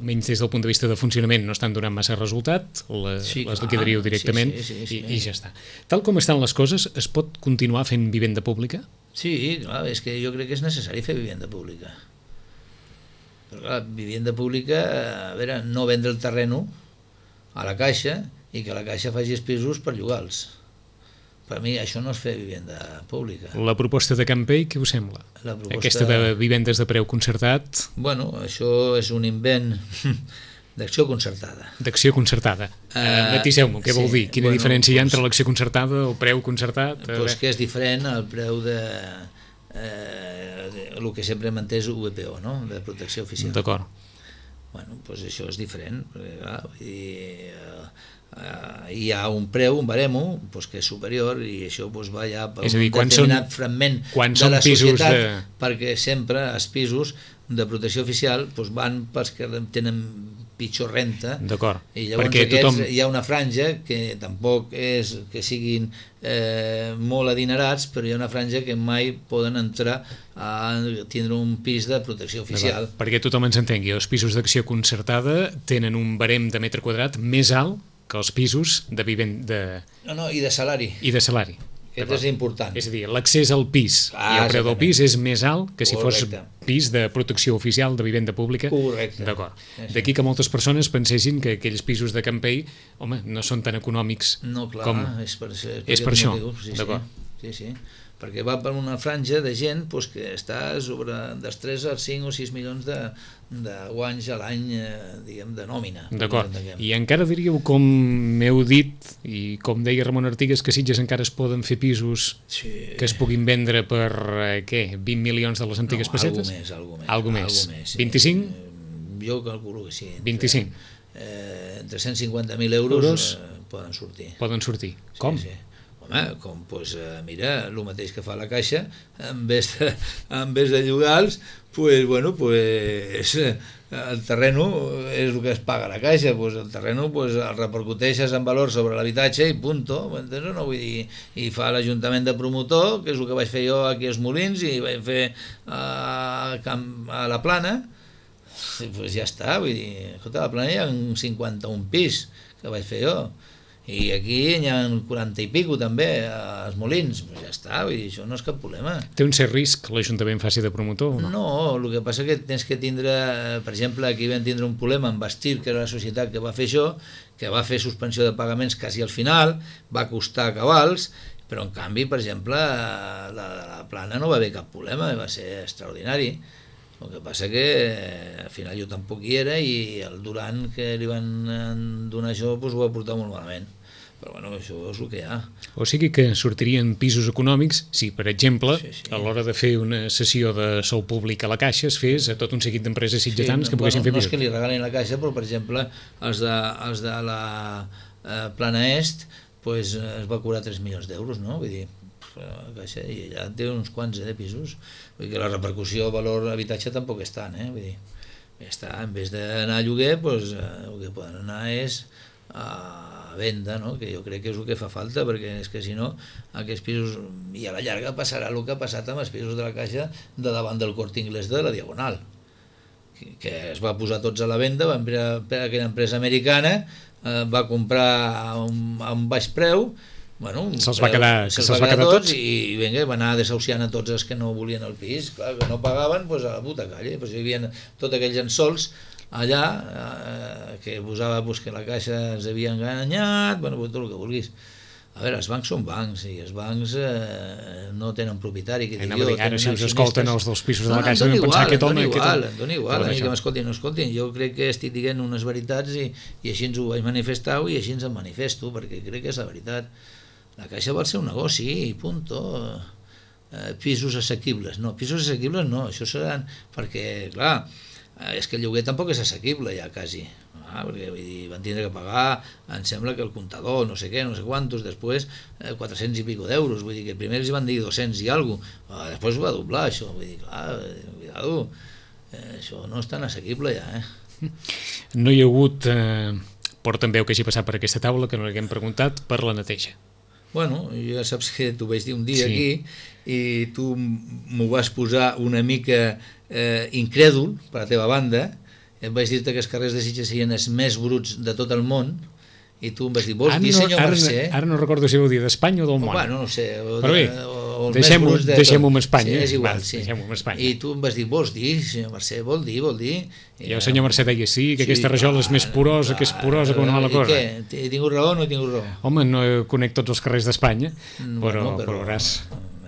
almenys des del punt de vista de funcionament, no estan donant massa resultat, les, sí, les liquidaríeu directament, sí, sí, sí, sí. I, i ja està. Tal com estan les coses, es pot continuar fent vivenda pública? Sí, clar, és que jo crec que és necessari fer vivenda pública. Però clar, vivenda pública, a veure, no vendre el terreno a la Caixa i que la Caixa faci els pisos per llogar-los. Per mi això no és fer vivenda pública. La proposta de Campell, què us sembla? La proposta... Aquesta de vivendes de preu concertat? Bueno, això és un invent d'acció concertada. D'acció concertada. Uh, Matiseu-m'ho, què sí, vol dir? Quina bueno, diferència hi ha entre pues, l'acció concertada, el preu concertat? Doncs pues que és diferent al preu de... Eh, el que sempre hem entès U B P O, no? De protecció oficial. D'acord. Bueno, doncs pues això és diferent, perquè clar, vull dir, eh, eh, hi ha un preu, un baremo, pues que és superior, i això pues, va ja per és a dir, un determinat són, fragment de la societat, de... perquè sempre els pisos de protecció oficial pues, van pels que tenen pitjor renta, i llavors aquests, tothom... hi ha una franja que tampoc és que siguin eh, molt adinerats, però hi ha una franja que mai poden entrar a tindre un pis de protecció oficial. Perquè tothom ens entengui, els pisos d'acció concertada tenen un barem de metre quadrat més alt que els pisos de vivent... De... No, no, i de salari. I de salari. Aquest és important. És a dir, l'accés al pis ah, i el preu del pis és més alt que si Correcte. Fos pis de protecció oficial de vivenda pública. Correcte. D'acord. Sí. D'aquí que moltes persones pensessin que aquells pisos de Campell, home, no són tan econòmics no, clar, com... és per, és per, és per això. Sí, D'acord. Sí, sí. Perquè va per una franja de gent pues, que està sobre dels tres als cinc o sis milions de, de guanys a l'any, eh, diguem, de nòmina. D'acord. I encara diríeu, com m'heu dit, i com deia Ramon Artigas, que a Sitges encara es poden fer pisos sí. que es puguin vendre per, eh, què, vint milions de les antigues no, pessetes? Algo més, algo més. Algo més. Algo més sí. vint-i-cinc? Jo calculo que sí. Entre, vint-i-cinc? Eh, entre cent cinquanta mil euros, euros eh, poden sortir. Poden sortir. Com? Sí, sí. Home, com, pues, mira, el mateix que fa la Caixa, en vez de, en vez de llogar-los, pues, bueno, pues, el terreno és el que es paga a la Caixa, pues, el terreno pues, el repercuteixes en valor sobre l'habitatge i punto, m'entens? No? Vull dir, i fa l'Ajuntament de promotor, que és el que vaig fer jo aquí als Molins, i vaig fer a, a la Plana, i pues ja està, vull dir, escolta, a la Plana hi ha cinquanta-un pis que vaig fer jo, i aquí hi ha quaranta i pico també als Molins, pues ja està, vull dir, això no és cap problema. Té un cert risc que l'Ajuntament faci de promotor o no? No, el que passa és que tens que tindre, per exemple, aquí vam tindre un problema amb Bastir, que era la societat que va fer això, que va fer suspensió de pagaments quasi al final, va costar cabals, però en canvi, per exemple, la, la Plana no va haver cap problema, va ser extraordinari. El que passa que al final jo tampoc hi era i el Duran que li van donar això doncs ho va portar molt malament. Però bueno, això és el que hi ha. O sigui que sortirien pisos econòmics si, per exemple, sí, sí. a l'hora de fer una sessió de sou públic a la Caixa es fes a tot un seguit d'empreses sitgetans sí, que poguessin bueno, fer pisos. No és que li regalin la Caixa, però per exemple els de, els de la eh, Plana Est pues, es va cobrar tres milions d'euros, no? Vull dir, la Caixa, i allà té uns quants eh, pisos. Vull dir que la repercussió del valor d'habitatge tampoc és tant, eh? Vull dir, està, en vez d'anar a lloguer, pues, eh, el que poden anar és a venda, no? Que jo crec que és el que fa falta, perquè és que si no, aquests pisos, i a la llarga passarà el que ha passat amb els pisos de la Caixa de davant del Corte Inglés de la Diagonal, que, que es va posar tots a la venda, va per aquella empresa americana, eh, va comprar a un, a un baix preu, bueno, se'ls va quedar, se se va quedar tots, tots i vinga, va anar desahuciant a tots els que no volien el pis, clar, que no pagaven, doncs a la puta calle, doncs hi havia tots aquells ensols allà, eh, que posava pues, que la caixa ens havia enganyat, bueno, pues, tot el que vulguis. A veure, els bancs són bancs i els bancs eh, no tenen propietari, que Anava a dir, ara si us escolten els dels pisos de la no, Caixa no, vam pensar igual, aquest home... Em dona igual, aquest... em dona igual, a mi que m'escoltin, no escoltin, jo crec que estic dient unes veritats i, i així ens ho vaig manifestar i així ens en manifesto, perquè crec que és la veritat. La Caixa vol ser un negoci i punto. Eh, pisos assequibles, no, pisos assequibles no, això seran, perquè clar, és que el lloguer tampoc és assequible ja quasi, ah, perquè vull dir, van tindre que pagar, em sembla que el comptador, no sé què, no sé quantos, després eh, quatre-cents i pico d'euros, vull dir que primer els van dir dos-cents i alguna cosa, després ho va doblar això, vull dir, clar, cuidado, eh, això no és tan assequible ja, eh. No hi ha hagut eh, portaveu que hagi passat per aquesta taula que no li haguem preguntat per la neteja. Bueno, ja saps que t'ho vaig dir un dia sí. aquí i tu m'ho vas posar una mica eh, incrèdul per la teva banda, et vaig dir-te que els carrers de Sitges serien els més bruts de tot el món i tu em vas dir, vols ara dir no, senyor ara, Mercè? Ara no recordo si ho dir d'Espanya o del món. O, bueno, no sé, o, però bé, de, o el deixem-ho més brut de deixem tot. amb Espanya. Sí, és igual, Va, sí. Deixem-ho amb Espanya. I tu em vas dir, vols dir, senyor Mercè, vol dir, vol dir. I el senyor Mercè deia sí, que sí, aquesta rajola és més porosa, clar, que és porosa com una mala cosa. I què? He tingut raó o no he tingut raó? Home, no conec tots els carrers d'Espanya, però, bueno, però, però veuràs...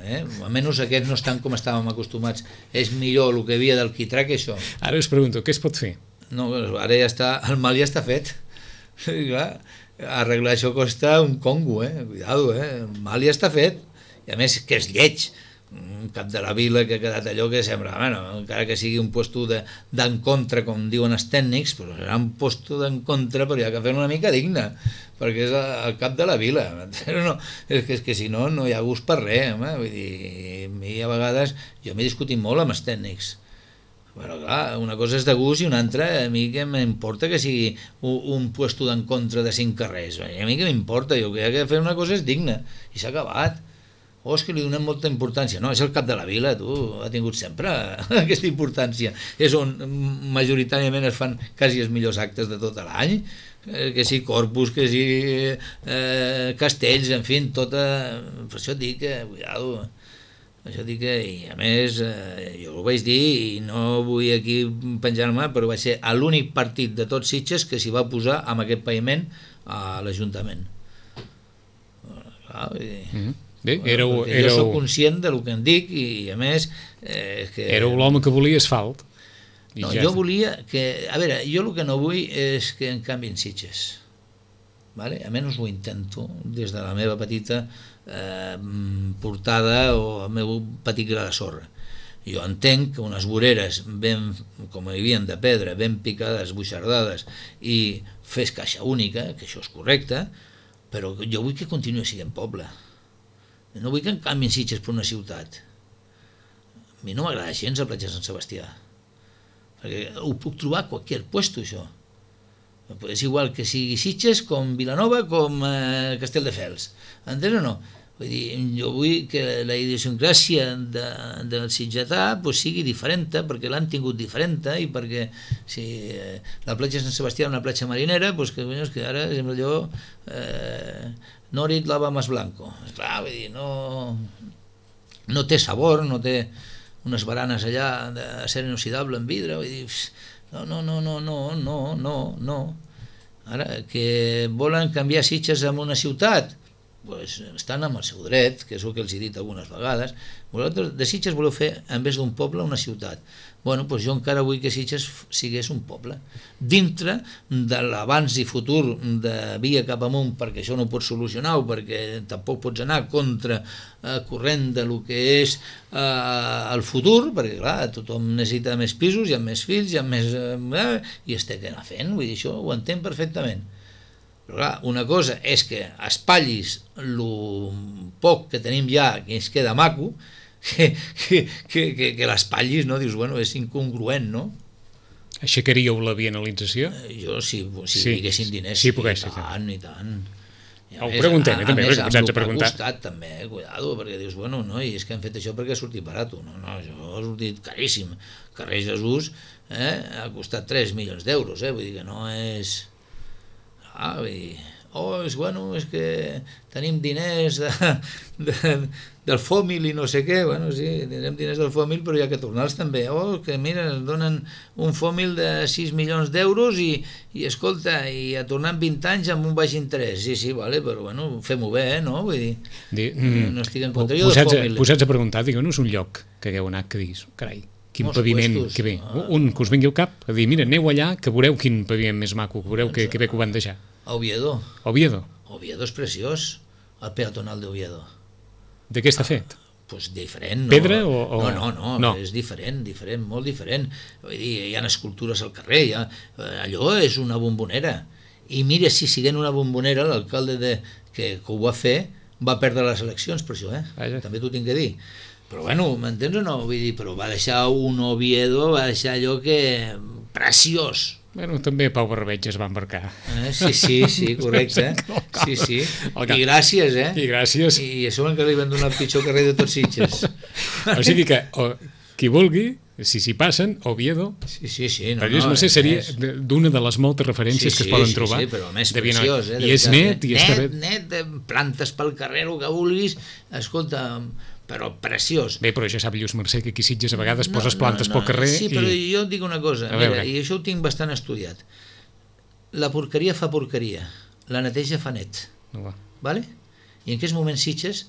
Eh? Almenys aquests no estan com estàvem acostumats. És millor el que havia del quitrà que això. Ara us pregunto, què es pot fer? No, ara ja està, el mal ja està fet. Clar, arreglar això costa un congo, eh? Cuidado, eh? El mal ja està fet. I a més que és lleig. Un cap de la vila que ha quedat allò que sembla, bueno, encara que sigui un puesto d'en contra, com diuen els tècnics, però serà un puesto d'en contra, però hi ha que fer una mica digne, perquè és el cap de la vila. No, és, que, és que si no, no hi ha gust per res, home. Vull dir, a mi a vegades, jo m'he discutit molt amb els tècnics. Però clar, una cosa és de gust i una altra, a mi que m'importa que sigui un, un puesto d'en contra de cinc carrers. A mi que m'importa, jo crec que fer una cosa és digna, i s'ha acabat. O és que li donem molta importància. No, és el cap de la vila, tu, ha tingut sempre aquesta importància. És on majoritàriament es fan quasi els millors actes de tot l'any, que si Corpus, que si eh, Castells, en fi, tota... Per això dic que, cuidado, això dic que, i a més, eh, jo ho vaig dir, i no vull aquí penjar-me, però va ser l'únic partit de tots Sitges que s'hi va posar amb aquest paviment a l'Ajuntament. Clar, vull dir... Mm-hmm. Bé, éreu, bueno, éreu... Jo soc conscient del que em dic i a més eh, que... Éreu l'home que volia asfalt. No, ja jo volia que... A veure, jo el que no vull és que en canviïn Sitges, vale? Almenys ho intento des de la meva petita eh, portada o el meu petit gra de sorra. Jo entenc que unes voreres ben, com hi havia de pedra, ben picades, buixardades i fes caixa única, que això és correcte, però jo vull que continuï sent poble. No vull que en canviïn Sitges per una ciutat. A mi no m'agrada gens la platja de Sant Sebastià, perquè ho puc trobar a qualsevol puesto, això. És igual que sigui Sitges com Vilanova com eh, Castelldefels. Entens o no? Vull dir, jo vull que la idiosincràsia de, del sitgetà pues, sigui diferent, perquè l'han tingut diferent, i perquè si eh, la platja de Sant Sebastià és una platja marinera, pues, que, que ara és allò... Eh, Norit lava más blanco. Clar, vull dir, no, no té sabor, no té unes baranes allà d'acer inoxidable en vidre, vull dir, no, no, no, no, no, no, no, no. Ara, que volen canviar Sitges en una ciutat, pues estan amb el seu dret, que és el que els he dit algunes vegades. Vosaltres de Sitges voleu fer, en vez d'un poble, una ciutat. Bueno, doncs jo encara vull que Sitges sigués un poble, dintre de l'abans i futur de via cap amunt, perquè això no ho pots solucionar, perquè tampoc pots anar contra eh, corrent de lo que és eh, el futur, perquè clar, tothom necessita més pisos, hi ha més fills, hi ha més... Eh, i es té que anar fent, vull dir, això ho entenc perfectament. Però clar, una cosa és que espatllis el poc que tenim ja, que ens queda maco, que, que, que, que, que l'espatllis, no? Dius, bueno, és incongruent, no? Aixecaríeu la bienalització? Eh, jo, si, si sí, diguessin diners, sí, sí, sí, i tant, i tant. I ho preguntem, a, també, a més, perquè ens a preguntar. Costat, també, cuidado, perquè dius, bueno, no, i és que han fet això perquè ha sortit barat. No, no, això ha sortit caríssim. Carrer Jesús eh, ha costat tres milions d'euros, eh? Vull dir que no és... Ah, vull dir... oh, és, bueno, és que tenim diners de, de, del fòmil i no sé què, bueno, sí, tindrem diners del fòmil, però hi ha que tornar-los també, oh, que mira, ens donen un fòmil de sis milions d'euros i, i escolta, i a tornar en vint anys amb un baix interès, sí, sí, vale, però bueno, fem-ho bé, eh, no? Vull dir, Di, mm, no estic en contra jo posats, del fòmil. Posats a preguntar, digueu-nos un lloc que hagueu anat que diguis, carai, quin Molts paviment, puestos. que bé, Ah. un que us vingui al cap, a dir, mira, aneu allà, que veureu quin paviment més maco, que veureu que, que bé que ho van deixar. A Oviedo, Oviedo, Oviedo és preciós, el peatonal d'Oviedo. de què està fet? Pues diferent, no? Pedra o, o... No, no, no, no, és diferent, diferent, molt diferent. Vull dir, hi ha escultures al carrer, hi ha, allò és una bombonera. I mira, si siguent una bombonera, l'alcalde de, que, que ho va fer va perdre les eleccions per això, eh? Vaja. També t'ho tinc que dir. Però bueno, m'entens o no? Vull dir, però va deixar un Oviedo, va deixar allò que... preciós. Bueno, també Pau Barbeig es va embarcar. Eh? Sí, sí, sí, correcte. Sí, sí. I gràcies, eh? I gràcies. I a sobre encara li van donar el pitjor carrer de tots Sitges. O sigui que o, qui vulgui, si s'hi passen, Oviedo, Sí, sí, sí. no, per no, no sé, seria és... d'una de les moltes referències sí, que es poden sí, trobar. Sí, però a més de Viena. preciós, eh? I és net, i està bé. Net, net, de plantes pel carrer, el que vulguis, escolta, però preciós. Bé, però ja sap Lluís Mercè que aquí a Sitges a vegades no, poses plantes no, no, pel carrer sí, però i... jo et dic una cosa, A mira, veure. i això ho tinc bastant estudiat. La porqueria fa porqueria, la neteja fa net, No, va. vale? I en aquests moments Sitges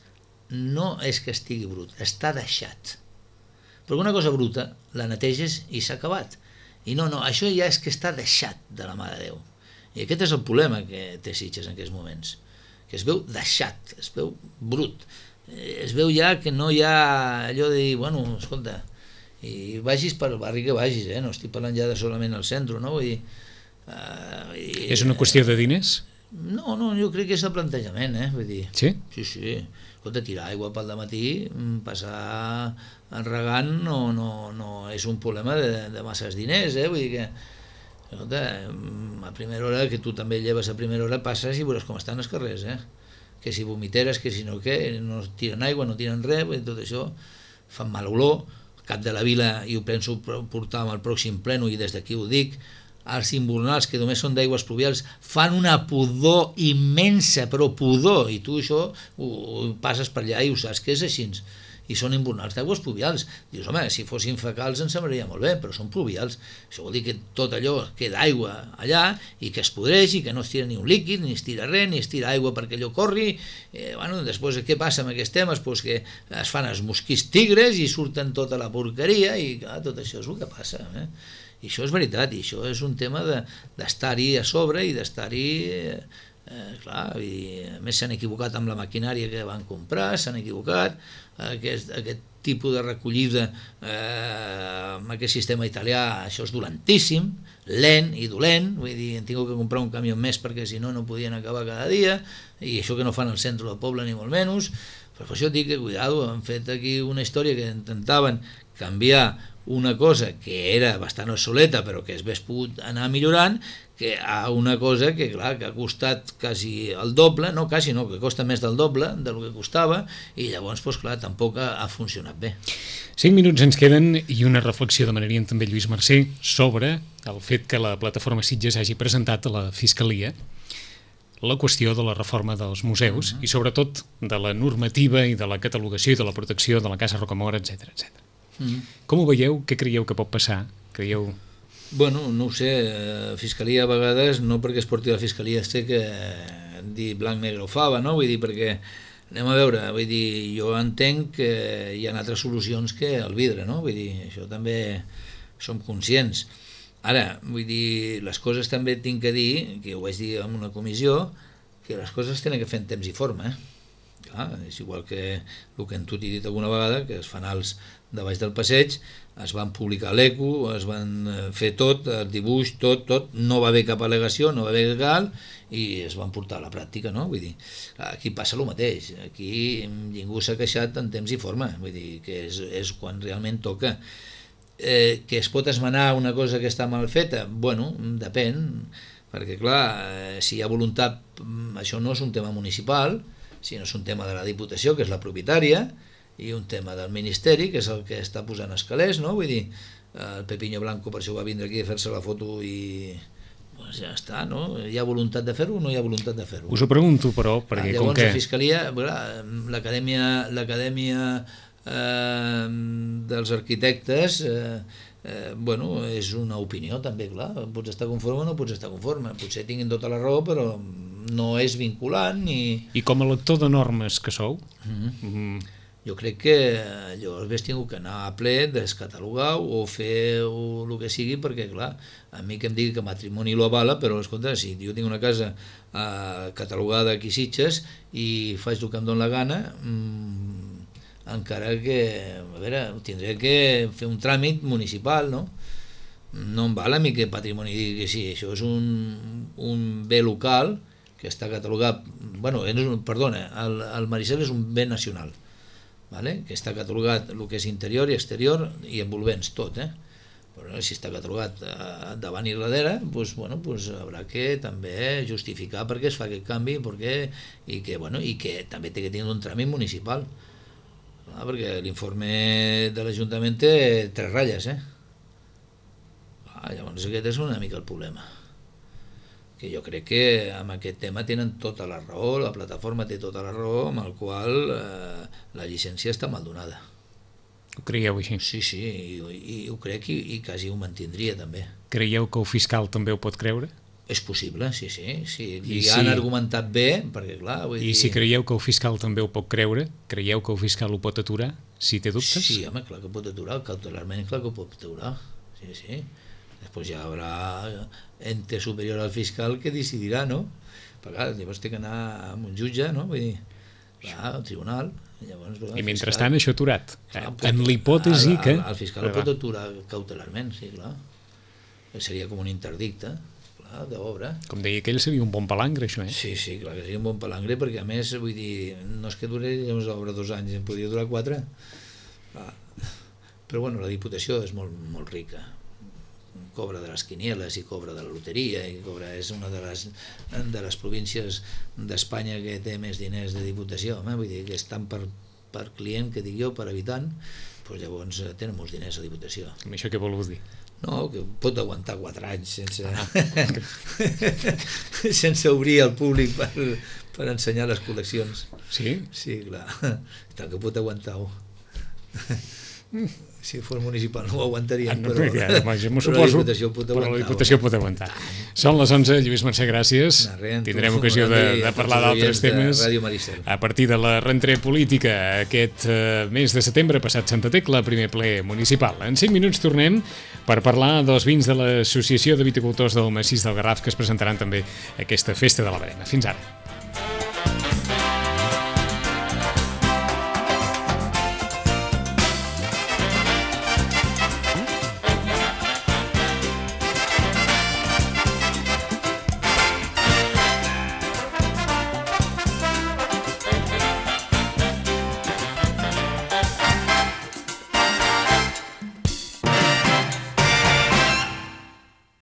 no és que estigui brut, està deixat. Però una cosa bruta la neteges i s'ha acabat. I no, no, això ja és que està deixat de la mà de Déu. I aquest és el problema que té Sitges en aquests moments, que es veu deixat, es veu brut, es veu ja que no hi ha allò de dir, bueno, escolta, i vagis per el barri que vagis, eh? No estic parlant ja de solament al centre, no? Vull dir, uh, i, És una qüestió de diners? No, no, jo crec que és el plantejament, eh? Vull dir, Sí? sí, sí, escolta, tirar aigua pel dematí, passar regant no, no, no és un problema de, de masses diners, eh? Vull dir que, escolta, a primera hora, que tu també lleves a primera hora, passes i veuràs com estan els carrers, eh? Que si vomiteres, que si no què, no tiren aigua, no tiren res, tot això fan mal olor. Al cap de la vila, i ho penso portar amb el pròxim pleno, i des d'aquí ho dic, els invernals, que només són d'aigües pluvials, fan una pudor immensa, però pudor, i tu això ho, ho passes per allà i ho saps que és així, i són invernals d'aigües pluvials. Dius, home, si fossin fecals ens semblaria molt bé, però són pluvials. Això vol dir que tot allò queda aigua allà i que es podreix i que no es tira ni un líquid, ni es tira res, ni es tira aigua perquè allò corri. Eh, bueno, després què passa amb aquests temes? Pues que es fan els mosquits tigres i surten tota la porqueria i clar, tot això és el que passa, eh? I això és veritat, i això és un tema d'estar-hi de, a sobre i d'estar-hi, eh, eh, clar, i a més s'han equivocat amb la maquinària que van comprar, s'han equivocat, aquest, aquest tipus de recollida eh, amb aquest sistema italià, això és dolentíssim, lent i dolent, vull dir, hem tingut que comprar un camió més perquè si no no podien acabar cada dia, i això que no fan al centre del poble ni molt menys, però per això dic que cuidado, han fet aquí una història que intentaven canviar una cosa que era bastant obsoleta però que es hagués pogut anar millorant, que a una cosa que clar que ha costat quasi el doble, no quasi no, que costa més del doble del que costava, i llavors pues, clar, tampoc ha, ha funcionat bé. Cinc minuts ens queden i una reflexió demanaríem també Lluís Mercè sobre el fet que la plataforma Sitges hagi presentat a la Fiscalia la qüestió de la reforma dels museus uh -huh. i sobretot de la normativa i de la catalogació i de la protecció de la Casa Rocamora, etcètera, etcètera. Mm. Com ho veieu? Què creieu que pot passar? Creieu... Bueno, no ho sé, Fiscalia a vegades, no perquè es porti a la Fiscalia es té que dir blanc, negre o fava, no? Vull dir, perquè, anem a veure, vull dir, jo entenc que hi ha altres solucions que el vidre, no? Vull dir, això també som conscients. Ara, vull dir, les coses també tinc que dir, que ho vaig dir en una comissió, que les coses tenen que fer en temps i forma, eh? Clar, és igual que el que tu t'he dit alguna vegada, que els fanals de baix del passeig es van publicar a l'Eco, es van fer tot, el dibuix, tot, tot, no va haver cap al·legació, no va haver gal, i es van portar a la pràctica, no? Vull dir, aquí passa el mateix, aquí ningú s'ha queixat en temps i forma, vull dir, que és, és quan realment toca. Eh, que es pot esmenar una cosa que està mal feta? Bueno, depèn, perquè clar, si hi ha voluntat, això no és un tema municipal, sinó és un tema de la Diputació, que és la propietària, i un tema del Ministeri, que és el que està posant els calés, no? Vull dir, el Pepiño Blanco per això va vindre aquí a fer-se la foto i Doncs ja està, no? Hi ha voluntat de fer-ho o no hi ha voluntat de fer-ho? Us ho pregunto, però, perquè ah, llavors, com que... la Fiscalia, l'acadèmia l'acadèmia eh, dels arquitectes eh, eh, bueno, és una opinió també, clar, pots estar conforme o no pots estar conforme, potser tinguin tota la raó, però no és vinculant ni... I com a lector de normes que sou? Mm-hmm. Mm. Jo crec que llavors hauria tingut que anar a ple, descatalogar o fer el que sigui, perquè clar, a mi que em digui que matrimoni lo avala, però escolta, si jo tinc una casa eh, catalogada aquí a Sitges i faig el que em dóna la gana, mmm, encara que, a veure, tindré que fer un tràmit municipal, no? No em val a mi que patrimoni digui que sí, això és un, un bé local que està catalogat, bueno, perdona, el, el Maricel és un bé nacional, vale? Que està catalogat el que és interior i exterior i envolvents, tot, eh? Però si està catalogat eh, davant i darrere, pues, bueno, pues, haurà que també justificar per què es fa aquest canvi perquè, i, que, bueno, i que també té que tenir un tràmit municipal, ah, perquè l'informe de l'Ajuntament té tres ratlles, eh? Ah, llavors aquest és una mica el problema, que jo crec que amb aquest tema tenen tota la raó, la plataforma té tota la raó, amb el qual eh, la llicència està mal donada. Ho creieu així? Sí, sí, i, i ho crec i, i quasi ho mantindria també. Creieu que el fiscal també ho pot creure? És possible, sí, sí, sí. I, I si... han argumentat bé, perquè clar... Vull I dir... si creieu que el fiscal també ho pot creure, creieu que el fiscal ho pot aturar, si té dubtes? Sí, home, clar que pot aturar, cautelarment clar que ho pot aturar, sí, sí. Després ja haurà ente superior al fiscal que decidirà, no? Però clar, llavors té que anar a un jutge, no? Vull dir, clar, al tribunal. Llavors, I mentrestant fiscal... això aturat. Clar, pot, en l'hipòtesi que... El fiscal ho pot aturar cautelarment, sí, clar. Seria com un interdicte, clar, d'obra. Com deia aquell, seria un bon palangre, això, eh? Sí, sí, clar que seria un bon palangre, perquè a més, vull dir, no és que dure llavors l'obra dos anys, en podria durar quatre. Clar. Però bueno, la Diputació és molt, molt rica. Cobra de les quinieles i cobra de la loteria i cobra, és una de les, de les províncies d'Espanya que té més diners de Diputació, eh? Vull dir que és tant per, per client, que dic jo, per habitant, doncs llavors tenen molts diners a Diputació. Amb això què vol dir? No, que pot aguantar quatre anys sense, ah. sense obrir al públic per, per ensenyar les col·leccions. Sí? Sí, clar, tant que pot aguantar-ho. Si fos municipal no ho aguantarien, ah, no, però, ja, home, jo però suposo, la Diputació pot aguantar. Però la Diputació pot aguantar. Són les onze, Lluís Mercè, gràcies. Res, tindrem ocasió de, de parlar d'altres temes a partir de la rentrée política aquest uh, mes de setembre, passat Santa Tecla, primer ple municipal. En cinc minuts tornem per parlar dels vins de l'Associació de Viticultors del Massís del Garraf, que es presentaran també a aquesta festa de la Verema. Fins ara.